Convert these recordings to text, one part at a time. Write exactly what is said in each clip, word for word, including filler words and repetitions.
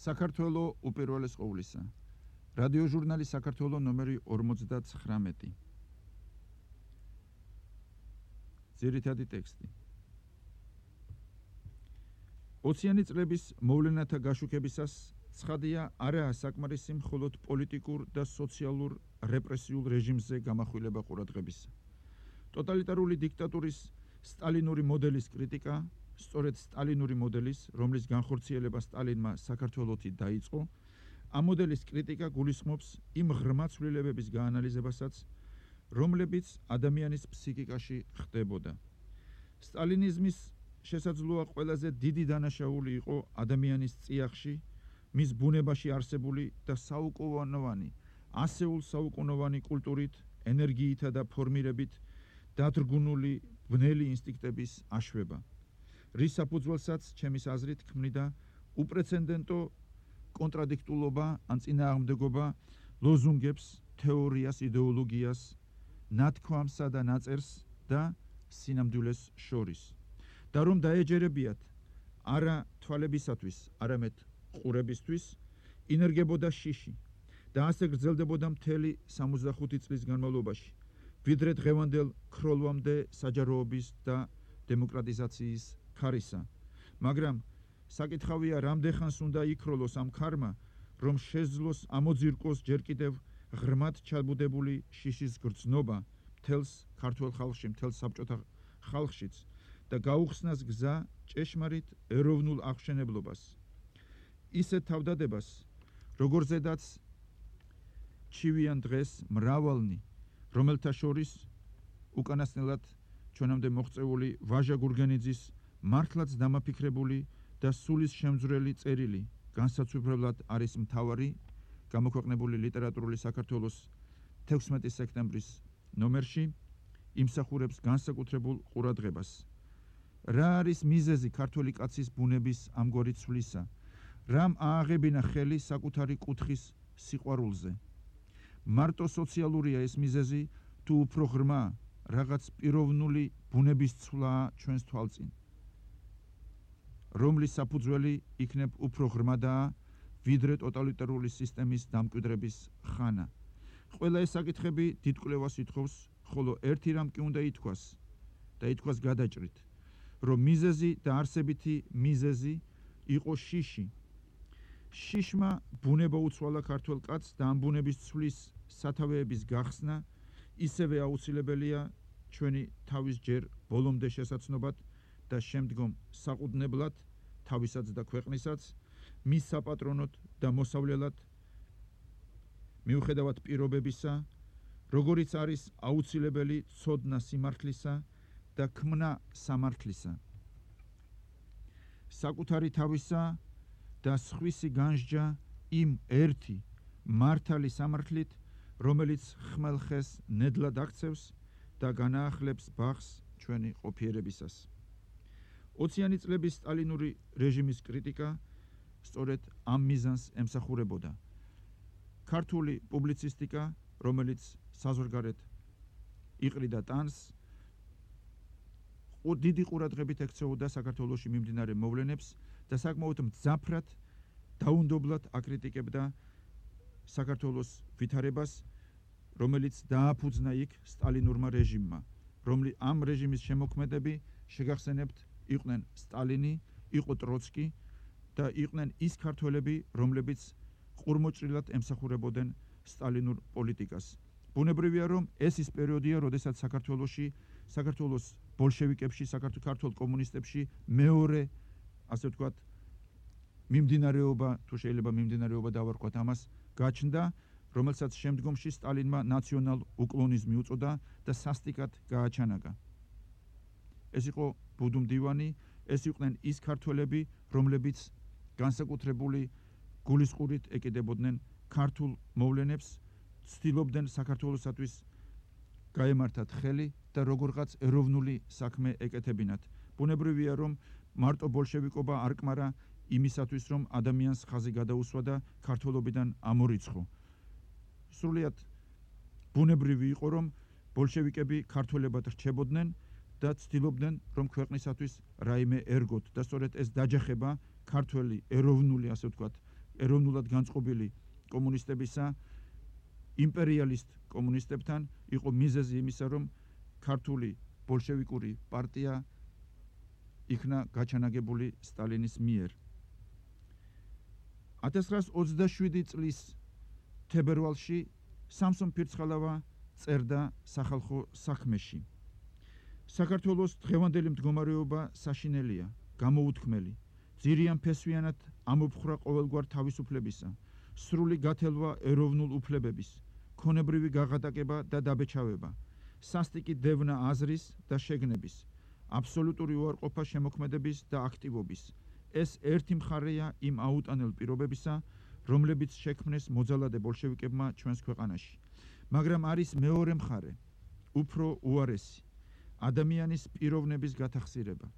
საქართველო უპირველეს ყოვლისა. რადიოჟურნალი საქართველო ნომერი ორმოცდათხრამეტი. ძირითადი ტექსტი. ოციანი წლების მოვლენათა გაშუქებისას ცხადია არაა საკმარისი მხოლოდ პოლიტიკურ და სოციალურ რეპრესიულ რეჟიმზე გამახვილება ყურადღებისა. ტოტალიტარული დიქტატურის სტალინური მოდელის კრიტიკა, სწორედ სტალინური მოდელის, რომლის განხორციელება სტალინმა საქართველოში დაიწყო, ამ მოდელის კრიტიკა გულისხმობს იმ ღრმა ცვლილებების გაანალიზებასაც, რომლებიც ადამიანის ფსიქიკაში ხდებოდა. სტალინიზმის შესაძლოა ყველაზე დიდი დანაშაული იყო ადამიანის წიაღში, მის ბუნებაში არსებული და საუკუნოვანი, ასეულ საუკუნოვანი კულტურით, ენერგიითა და ფორმირებით დადრგუნული ბნელი ინსტინქტების აშვება. რის საფუძველსაც ჩემის აზრით ქმნიდა უპრეცედენტო კონტრადიქტულობა ან წინააღმდეგობა ლოზუნგებს, თეორიას, იდეოლოგიას, ნათქვამსა და ნაწერს და სინამდვილეს შორის. და რომ დაეჯერებიათ არა თვალებისათვის, არამედ ყურებისთვის, ინერგებოდა შიში და ასე გრძელდებოდა მთელი სამოცდახუთი წლის განმავლობაში, ვიდრე დღევანდელ ქროლვამდე საჯაროობის და დემოკრატიზაციის ხარისა. მაგრამ საკითხავია, რამდენხანს უნდა იქროლოს ამ ქარმა, რომ შეძლოს ამოძირკოს ჯერ კიდევ ღრმად ჩაბუდებული შიშის გრძნობა მთელს ქართულ ხალხში, მთელ საბჭოთა ხალხშიც და გაუხსნას გზა ჭეშმარიტ ეროვნულ აღმშენებლობას. ისეთ თავდადებას, როგორზედაც ჩივიან დღეს მრავალნი, რომელთა შორის უკანასკნელად ჩვენამდე მოღწეული ვაჟა გურგენიძის მართლაც დამაფიქრებული და სულის შემძვრელი წერილი განსაცვიფრებლად არის მთავარი, გამოქვეყნებული ლიტერატურული საქართველოს თექვსმეტი სექტემბრის ნომერში, იმსახურებს განსაკუთრებულ ყურადღებას. რა არის მიზეზი ქართული კაცის ბუნების ამგვარი ცვლისა? რამ ააღებინა ხელი საკუთარი კუთხის სიყვარულზე? მარტო სოციალურია ეს მიზეზი, თუ უფრო ღრმა რაღაც პიროვნული ბუნების ცვლაა ჩვენს თვალწინ, რომლის საფუძველი იქნებ უფრო ღრმადაა, ვიდრე ტოტალიტარული სისტემის დამკვიდრების ხანა. ყველა ეს საკითხები დიდ კვლევას ითხოვს, ხოლო ერთი რამ კი უნდა ითქვას და ითქვას გადაჭრით, რომ მიზეზი და არსებითი მიზეზი იყო შიში. შიშმა ბუნება უცვალა ქართველ კაცს და ამ ბუნების ცვლის სათავეების გახსნა ისევე აუცილებელია ჩვენი თავის ჯერ ბოლომდე შესაცნობად და შემდგომ საყუდნებლად, თავისაც და ქვეყნისაც, მის საპატრონოდ და მოსავლელად, მიუხედავად პირობებისა, როგორიც არის აუცილებელი ცოდნა სიმართლისა და ქმნა სამართლისა. საკუთარი თავისა და სხვისი განსჯა იმ ერთი მართალი სამართლით, რომელიც ხმელხეს ნედლად აქცევს და განაახლებს ბაღს ჩვენი ყოფიერებისას. ოციანი წლების სტალინური რეჟიმის კრიტიკა სწორედ ამ მიზანს ემსახურებოდა. ქართული პუბლიცისტიკა, რომელიც საზღვარგარეთ იყრიდა ტანს, დიდი ყურადღებით ექცეოდა საქართველოში მიმდინარე მოვლენებს და საკმაოდ მძაფრად, დაუნდობლად აკრიტიკებდა საქართველოს ვითარებას, რომელიც დააფუძნა იქ სტალინურმა რეჟიმმა, რომლის ამ რეჟიმის შემოქმედები შეგახსენებთ იყვნენ სტალინი, იყო ტროცკი და იყვნენ ის ქართველები, რომლებიც ყურმოჭრილად ემსახურებოდნენ სტალინურ პოლიტიკას. ბუნებრივია, რომ ეს ის პერიოდია, როდესაც საქართველოში, საქართველოს ბოლშევიკებში, საქართველოს ქართულ კომუნისტებში მეორე, ასე ვთქვათ, მიმდინარეობა, თუ შეიძლება მიმდინარეობა დავარქვათ ამას, გაჩნდა, რომელსაც შემდგომში სტალინმა ნაციონალ უკლონიზმი უწოდა და სასტიკად გააჩანაგა. ეს იყო ბუდუმდივანი, ეს იყვნენ ის ქართველები, რომლებიც განსაკუთრებული გულისყურით ეკიდებოდნენ ქართულ მოვლენებს, ცდილობდნენ საქართველოსათვის გაემართათ ხელი და როგორღაც ეროვნული საქმე ეკეთებინათ. ბუნებრივია, რომ მარტო ბოლშევიკობა არ კმარა იმისათვის, რომ ადამიანს ხაზი გადაუსვა და ქართველობიდან ამორიცხო. სრულიად ბუნებრივი იყო, რომ ბოლშევიკები ქართველებად რჩებოდნენ და ცდილობდნენ, რომ ქვეყნისათვის რაიმე ერგოთ და სწორედ ეს დაჯახება ქართველი ეროვნული, ასე ვთქვათ, ეროვნულად განწყობილი კომუნისტებისა იმპერიალისტ კომუნისტებთან იყო მიზეზი იმისა, რომ ქართული ბოლშევიკური პარტია იქნა გაჩანაგებული სტალინის მიერ. ათას ცხრაასი ოცდაშვიდი წლის თებერვალში სამსონ ფირცხალავა წერდა სახალხო საქმეში. საქართველოს დღევანდელი მდგომარეობა საშინელია, გამოუთქმელი, ძირიან ფესვიანად ამოფხრა ყოველგვარ თავისუფლებისა, სრული გათელვა ეროვნულ უფლებების, ქონებრივი გაღატაკება და დაბეჭავება, სასტიკი დევნა აზრის და შეგნების, აბსოლუტური უარყოფა შემოქმედების და აქტივობის. ეს ერთი მხარეა იმ აუტანელ პირობებისა, რომლებიც შექმნეს მოძალადე ბოლშევიკებმა ჩვენს ქვეყანაში. მაგრამ არის მეორე მხარე, უფრო უარესი, ადამიანის პიროვნების გათახსირება,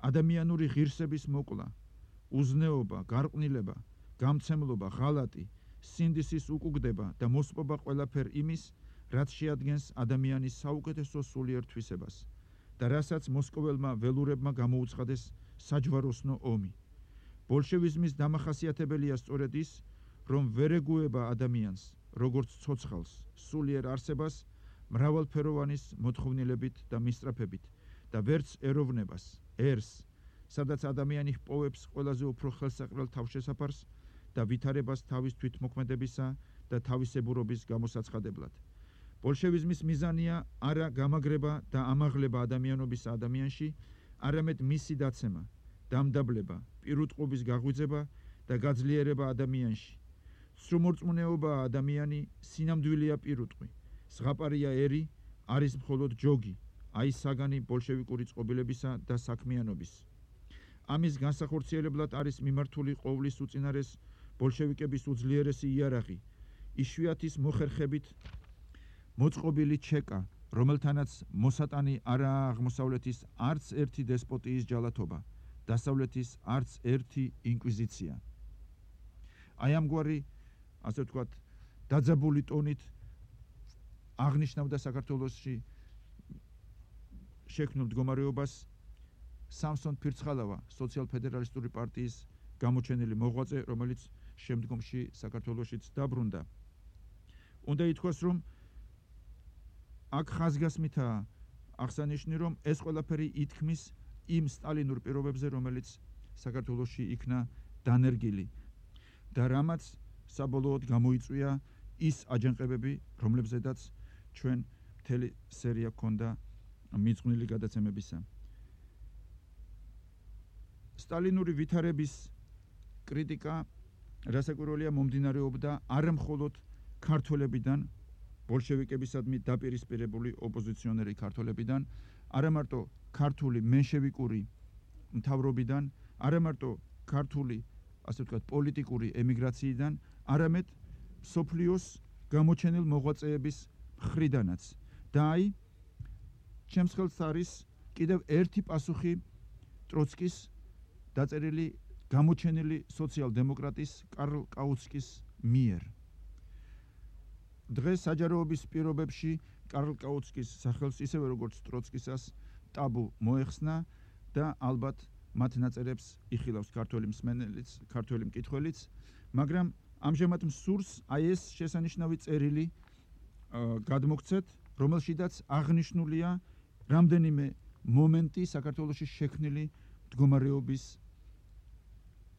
ადამიანური ღირსების მოკლა, უზნეობა, გარყვნილება, გამცემლობა, ღალატი, სინდისის უკუგდება და მოსპობა ყველაფერ იმის, რაც შეადგენს ადამიანის საუკეთესო სულიერ თვისებას და რასაც მოსკოველმა ველურებმა გამოუცხადეს საჯვაროსნო ომი. ბოლშევიზმის დამახასიათებელია სწორედ ის, რომ ვერ ეგუება ადამიანს, როგორც ცოცხალს, სულიერ არსებას, მრავალფეროვანის მოთხოვნილებით და მისწრაფებით და ვერც ეროვნებას, ერს, სადაც ადამიანი ჰპოვებს ყველაზე უფრო ხელსაყრელ თავშესაფარს და ვითარებას თავის თვითმოქმედებისა და თავისებურობის გამოსაცხადებლად. ბოლშევიზმის მიზანია არა გამაგრება და ამაღლება ადამიანობის ადამიანში, არამედ მისი დაცემა, დამდაბლება, პირუტყობის გაღვიძება და გაძლიერება ადამიანში. სრუმორწმუნეობაა ადამიანი, სინამდვილეა პირუტყვი, ზღაპარია ერი, არის მხოლოდ ჯოგი, აი საგანი ბოლშევიკური წყობილებისა და საქმიანობის. ამის განსახორციელებლად არის მიმართული ყოვლის უწინარეს ბოლშევიკების უძლიერესი იარაღი, იშვიათის მოხერხებით მოწყობილი ჩეკა, რომელთანაც მოსატანი არაა აღმოსავლეთის არც ერთი დესპოტიის ჯალათობა, დასავლეთის არც ერთი ინკვიზიცია. აი ამგვარი, ასე ვთქვათ, დაძაბული ტონით აღნიშნავდა საქართველოში შექმნილ მდგომარეობას სამსონ ფირცხალავა, სოციალ-ფედერალისტური პარტიის გამოჩენილი მოღვაწე, რომელიც შემდგომში საქართველოშიც დაბრუნდა. უნდა ითქვას, რომ აქ ხაზგასმითაა აღსანიშნავი, რომ ეს ყველაფერი ითქმის იმ სტალინურ პირობებზე, რომელიც საქართველოში იქნა დანერგილი და რამაც საბოლოოდ გამოიწვია ის აჯანყებები, რომლებზედაც ჩვენ მთელი სერია ჰქონდა მიძღვნილი გადაცემებისა. სტალინური ვითარების კრიტიკა, რასაკვირველია, მომდინარეობდა არა მხოლოდ ქართველებიდან, ბოლშევიკებისადმი დაპირისპირებული ოპოზიციონერი ქართველებიდან, არა მარტო ქართული მენშევიკური მთავრობიდან, არა მარტო ქართული, ასე ვთქვათ, პოლიტიკური ემიგრაციიდან, არამედ მსოფლიოს გამოჩენილ მოღვაწეების მხრიდანაც. და აი, ჩემს ხელს არის კიდევ ერთი პასუხი ტროცკის დაწერილი გამოჩენილი სოციალ-დემოკრატის კარლ კაუცკის მიერ. დღეს საჯაროობის პირობებში კარლ კაუცკის სახელს, ისევე როგორც ტროცკისას, ტაბუ მოეხსნა და ალბათ მათ ნაწერებს იხილავს ქართველი მსმენელიც, ქართველი მკითხველიც, მაგრამ ამჟამად მსურს აი ეს შესანიშნავი წერილი გადმოგცეთ, რომელშიდაც აღნიშნულია რამდენიმე მომენტი საქართველოში შექმნილი მდგომარეობის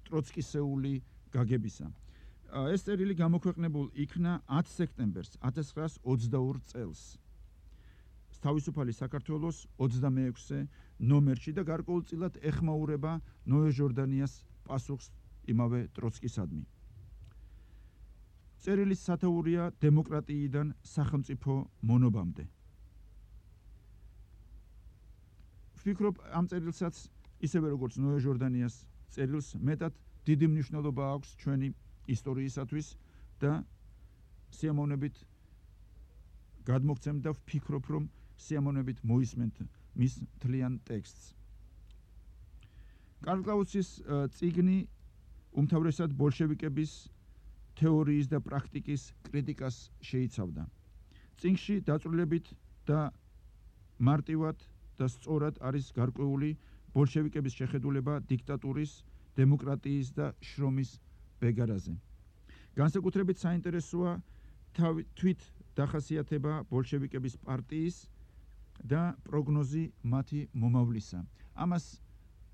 ტროცკისეული გაგებისა. ეს წერილი გამოქვეყნებულ იქნა ათი სექტემბერს ათას ცხრაასი ოცდაორ წელს. თავისუფალი საქართველოს ოცდამეექვსე ნომერში და გარკვეულწილად ეხმაურება ნოე ჟორდანიას პასუხს იმავე ტროცკისადმი. წერილის სათაურია დემოკრატიიდან სახელმწიფო მონობამდე. ვფიქრობ, ამ წერილსაც ისევე როგორც ნოე ჟორდანიას წერილს მეტად დიდი მნიშვნელობა აქვს ჩვენი ისტორიისათვის და სიამოვნებით გადმოგცემ და ვფიქრობ, რომ სიამოვნებით მოისმენთ მის მთლიან ტექსტს. კარლ კაუცის წიგნი უმთავრესად ბოლშევიკების თეორიის და პრაქტიკის კრიტიკას შეიცავდა. წიგნში დაწვრილებით და მარტივად და სწორად არის გარკვეული ბოლშევიკების შეხედულება დიქტატურის, დემოკრატიის და შრომის ბეგარაზე. განსაკუთრებით საინტერესოა თვით დახასიათება ბოლშევიკების პარტიის და პროგნოზი მათი მომავლისა. ამას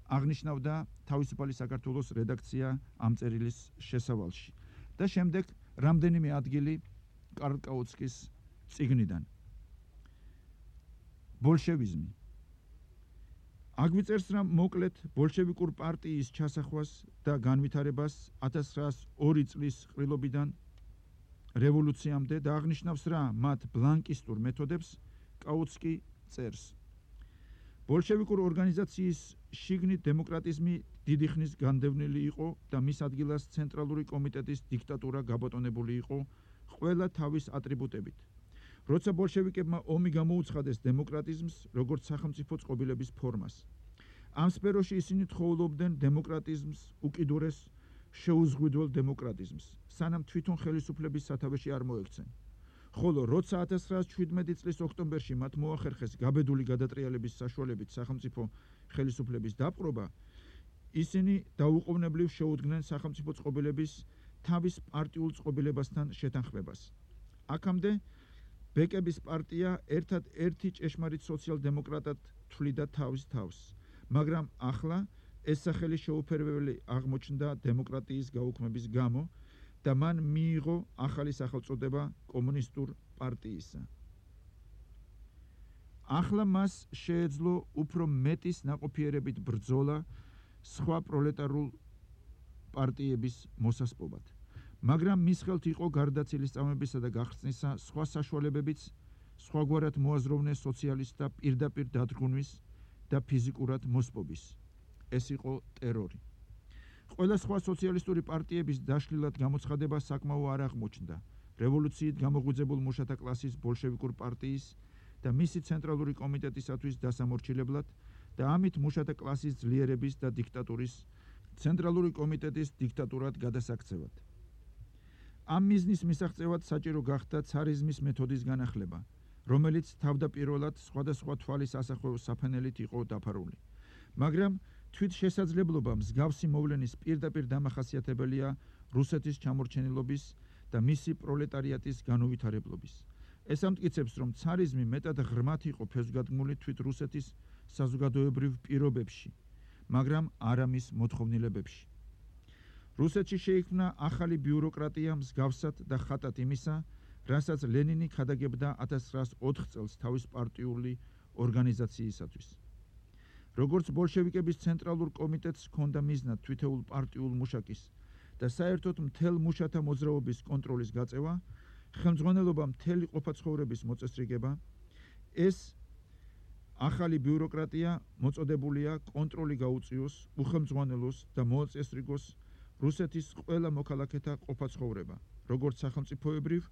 აღნიშნავდა თავისუფალი საქართველოს რედაქცია ამ წერილის შესავალში. და შემდეგ რამდენიმე ადგილი კარლ კაუცკის წიგნიდან. ბოლშევიზმი. აგვიწერს, რომ მოკლედ ბოლშევიკურ პარტიის ჩასახვას და განვითარებას ათას ცხრაასი ორი წლის ყრილობიდან რევოლუციამდე და აღნიშნავს რა მათ ბლანკისტურ მეთოდებს კაუცკი წერს. ბოლშევიკურ ორგანიზაციის შიგნით დემოკრატიზმი დიდი ხნის განდევნილი იყო და მის ადგილას ცენტრალური კომიტეტის დიქტატურა გაბატონებული იყო ყველა თავის ატრიბუტებით. როცა ბოლშევიკებმა ომი გამოუცხადეს დემოკრატიზმს როგორც სახელმწიფო წყობილების ფორმას. ამ სფეროში ისინი თხოვლობდნენ დემოკრატიზმს უკიდურეს შეუზღვიდველ დემოკრატიზმს, სანამ თვითონ ხელისუფლების სათავეში არ მოექცენ. ხოლო როცა ათას ცხრაასი შვიდმეტი წლის ოქტომბერში მათ მოახერხეს გაბედული გადატრიალების საშუალებით სახელმწიფო ხელისუფლების დაპყრობა, ისინი დაუყოვნებლივ შეუდგნენ სახელმწიფო წყობილების თავის პარტიულ წყობილებასთან შეთანხმებას. აქამდე ბეკების პარტია ერთად-ერთი ჭეშმარიტ სოციალ-დემოკრატად თვლიდა თავის თავს, მაგრამ ახლა ეს სახელი შეუფერებელი აღმოჩნდა დემოკრატიის გაუქმების გამო და მან მიიღო ახალი სახელწოდება კომუნისტურ პარტიისა. ახლა მას შეეძლო უფრო მეტის ნაყოფიერებით ბრძოლა სხვა პროლეტარულ პარტიების მოსასპობად. მაგრამ მის ხელთ იყო გარდაცილი სწამებისა და გახსნისა სხვა საშუალებებიც სხვაგვარად მოაზროვნეს სოციალისტთა პირდაპირ დადგუნვის და ფიზიკურად მოსპობის. ეს იყო ტერორი. ყველა სხვა სოციალისტური პარტიების დაშლილად გამოცხადება საკმაო არ აღმოჩნდა რევოლუციით გამოღვიძებულ მუშათა კლასის ბოლშევიკურ პარტიის და მისი ცენტრალური კომიტეტისათვის დასამორჩილებლად და ამით მუშათა კლასის ძლიერების და დიქტატურის ცენტრალური კომიტეტის დიქტატურად გადასაქცევად. ამ მიზნის მისაღწევად საჭირო გახდა ცარიზმის მეთოდის განახლება, რომელიც თავდაპირველად სხვადასხვა თვალის ასახვევ საფენელით იყო დაფარული. მაგრამ თვით შესაძლებლობა მსგავსი მოვლენის პირდაპირ დამახასიათებელია რუსეთის ჩამორჩენილობის და მისი პროლეტარიატის განუვითარებლობის. ეს ამტკიცებს, რომ ცარიზმი მეტად ღრმად იყო ფესვგადგმული თვით რუსეთის საზოგადოებრივ პირობებში, მაგრამ არა მის მოთხოვნილებებში. რუსეთში შეიქმნა ახალი ბიუროკრატია მსგავსად და ხატად იმისა, რასაც ლენინი ქადაგებდა ათას ცხრაასი ოთხ წელს თავის პარტიული ორგანიზაციისათვის. როგორც ბოლშევიკების ცენტრალურ კომიტეტს ჰქონდა მიზნად თვითეულ პარტიულ მუშაკის და საერთოდ მთელ მუშათა მოძრაობის კონტროლის გაწევა, ხელმძღვანელობა მთელი ყოფაცხოვრების მოწესრიგება, ეს ახალი ბიუროკრატია მოწოდებულია კონტროლი გაუწიოს, უხელმძღვანელოს და მოაწესრიგოს რუსეთის ყველა მოქალაქეთა ყოფაცხოვრება, როგორც სახელმწიფოებრივ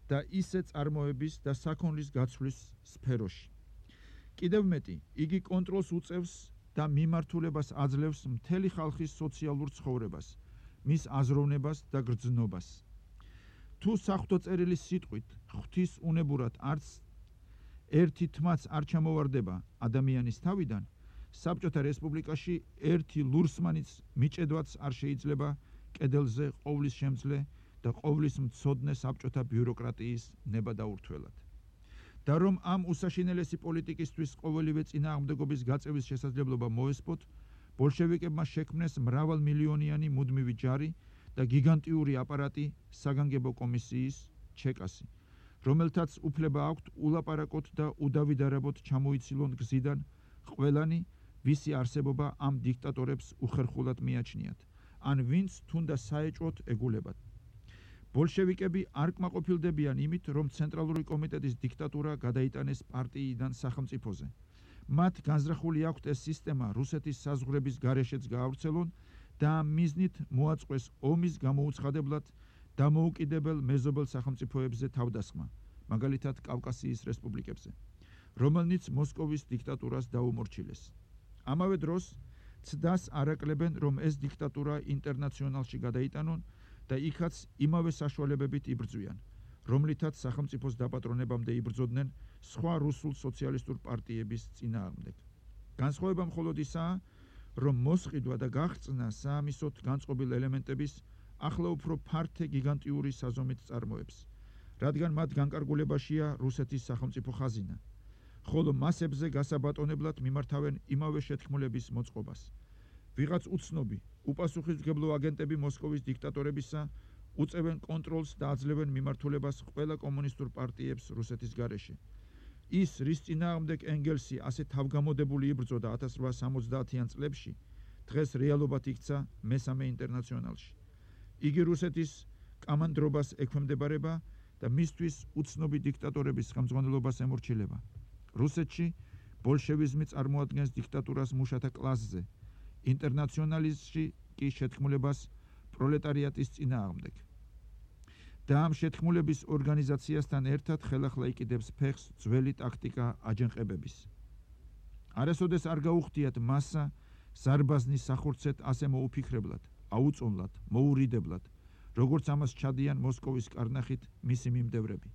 და ისე წარმოების და საქონლის გაცვლის სფეროში. კიდევ მეტი, იგი კონტროლს უწევს და მიმართულებას აძლევს მთელი ხალხის სოციალურ ცხოვრებას, მის აზროვნებას და გრძნობას. თუ საღვთო წერილის სიტყვით ღვთის უნებურად არც ერთი თმაც არ ჩამოვარდება ადამიანის თავიდან, საბჭოთა რესპუბლიკაში ერთი ლურსმანიც მიჭედვაც არ შეიძლება კედელზე ყოვლის შემძლე და ყოვლის მცოდნე საბჭოთა ბიუროკრატიის ნება დაურთველად. და რომ ამ უსაშინელესი პოლიტიკისთვის ყოველივე წინააღმდეგობის გაწევის შესაძლებლობა მოესპოთ, ბოლშევიკებმა შექმნეს მრავალმილიონიანი მუდმივი ჯარი და გიგანტიური აპარატი საგანგებო კომისიის ჩეკასი, რომელთაც უფლება აქვთ ულაპარაკოთ და udavიdarებოთ ჩამოიცილონ გზიდან ყველანი, ვისი არსებობა ამ დიქტატორებს უხერხულად მიაჩნიათ, ან ვინც თუნდა საეჭვოდ ეგულებათ. ბოლშევიკები არ კმაყოფილდებიან იმით, რომ ცენტრალური კომიტეტის დიქტატურა გადაიტანეს პარტიიდან სახელმწიფოზე. მათ განზრახული აქვთ ეს სისტემა რუსეთის საზღვრების გარეშეც გაავრცელონ და ამ მიზნით მოაწყვეს ომის გამოუცხადებლად დამოუკიდებელ მეზობელ სახელმწიფოებზე თავდასხმა, მაგალითად კავკასიის რესპუბლიკებზე, რომელნიც მოსკოვის დიქტატურას დაუმორჩილეს. ამავე დროს ცდას არაკლებენ, რომ ეს დიქტატურა ინტერნაციონალში გადაიტანონ და იქაც იმავე საშუალებებით იბრძვიან, რომლითაც სახელმწიფოს დაპატრონებამდე იბრძოდნენ სხვა რუსულ სოციალისტურ პარტიების წინააღმდეგ. განსხვავება მხოლოდ ისაა, რომ მოსყიდვა და გაღწნა საამისოდ განწყობილ ელემენტების ახლა უფრო ფართე გიგანტიური საზომით წარმოებს, რადგან მათ განკარგულებაშია რუსეთის სახელმწიფო ხაზინა, ხოლო მასებზე გასაბატონებლად მიმართავენ იმავე შეთქმულების მოწყობას. ვიღაც უცნობი, უპასუხისმგებლო აგენტები მოსკოვის დიქტატორებისა უწევენ კონტროლს და აძლევენ მიმართულებას ყველა კომუნისტურ პარტიებს რუსეთის გარეშე. ის, რის წინააღმდეგ ენგელსი ასე თავგამოდებული იბრძოდა ათას რვაასი სამოცდაათიან წლებში, დღეს რეალობად იქცა მესამე ინტერნაციონალში. იგი რუსეთის კამანდრობას ექვემდებარება და მისთვის უცნობი დიქტატორების ხელმძღვანელობას ემორჩილება. რუსეთში ბოლშევიზმი წარმოადგენს დიქტატურას მუშათა კლასზე, ინტერნაციონალიზმში კი შეთქმულებას პროლეტარიატის წინააღმდეგ. და ამ შეთქმულების ორგანიზაციასთან ერთად ხელახლა იკიდებს ფეხს ძველი ტაქტიკა აჯანყებების. არასოდეს არ გაუხდიათ მასა ზარბაზნის სახორცეთ ასე მოუფიქრებლად, აუწონლად, მოურიდებლად, როგორც ამას ჩადიან მოსკოვის კარნახით მისი მიმდევრები.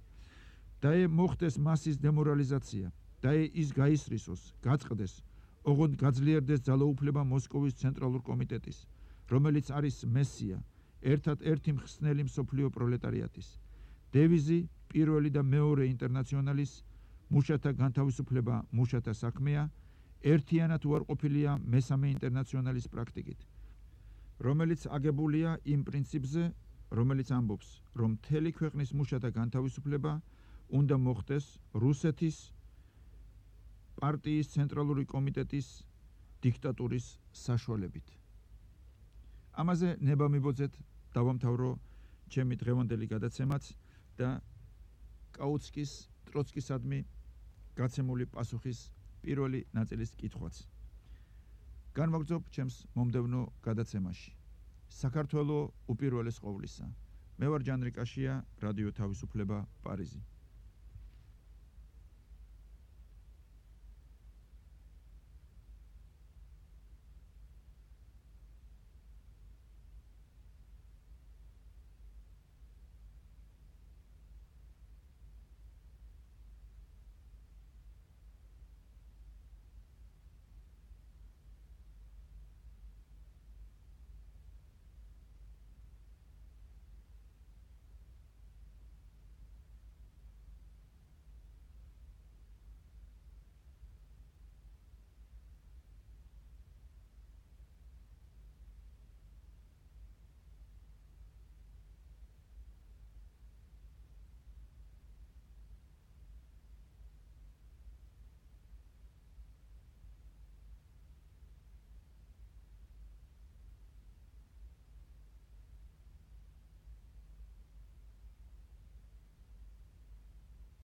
დაე მოხდეს მასის დემორალიზაცია, დაე ის გაისრისოს, გაწყდეს, ოღონდ გაძლიერდეს ძალაუფლება მოსკოვის ცენტრალურ კომიტეტის, რომელიც არის მესია, ერთად-ერთი მხსნელი მსოფლიო პროლეტარიატის. დევიზი პირველი და მეორე ინტერნაციონალის მუშათა განთავისუფლება მუშათა საქმეა, ერთიანად უარყოფილია მესამე ინტერნაციონალის პრაქტიკით, რომელიც აგებულია იმ პრინციპზე, რომელიც ამბობს, რომ მთელი ქვეყნის მუშათა განთავისუფლება უნდა მოხდეს რუსეთის პარტიის ცენტრალური კომიტეტის დიქტატურის საშუალებით. ამაზე ნება მიბოძეთ დავამთავრო ჩემი დღევანდელი გადაცემაც და კაუცკის ტროცკისადმი გაცემული პასუხის პირველი ნაწილის კითხვაც. განმოგრძობ ჩემს მომდევნო გადაცემაში. საქართველო უპირველეს ყოვლისა. მე ვარ ჯანრი კაშია, რადიო თავისუფლება, პარიზი.